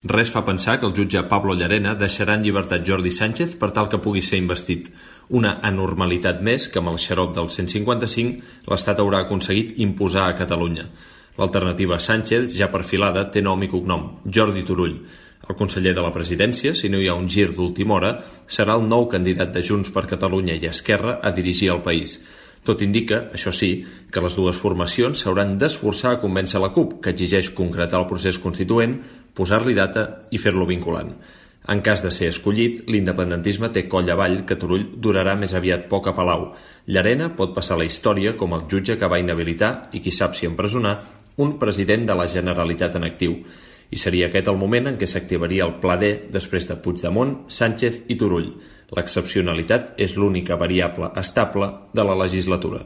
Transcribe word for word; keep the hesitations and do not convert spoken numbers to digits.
Res fa pensar que el jutge Pablo Llarena deixarà en llibertat Jordi Sánchez per tal que pugui ser investit. Una anormalitat més que amb el xarop del cent cinquanta-cinc l'Estat haurà aconseguit imposar a Catalunya. L'alternativa Sánchez, ja perfilada, té nom i cognom, Jordi Turull. El conseller de la presidència, si no hi ha un gir d'última hora, serà el nou candidat de Junts per Catalunya i Esquerra a dirigir el país. Tot indica, això sí, que les dues formacions s'hauran d'esforçar a convèncer la CUP, que exigeix concretar el procés constituent, posar-li data i fer-lo vinculant. En cas de ser escollit, l'independentisme té coll avall que Turull durarà més aviat poc a Palau. Llarena pot passar a la història com el jutge que va inhabilitar, i qui sap si empresonar, un president de la Generalitat en actiu. I seria aquest el moment en què s'activaria el Pla D després de Puigdemont, Sánchez i Turull. L'excepcionalitat és l'única variable estable de la legislatura.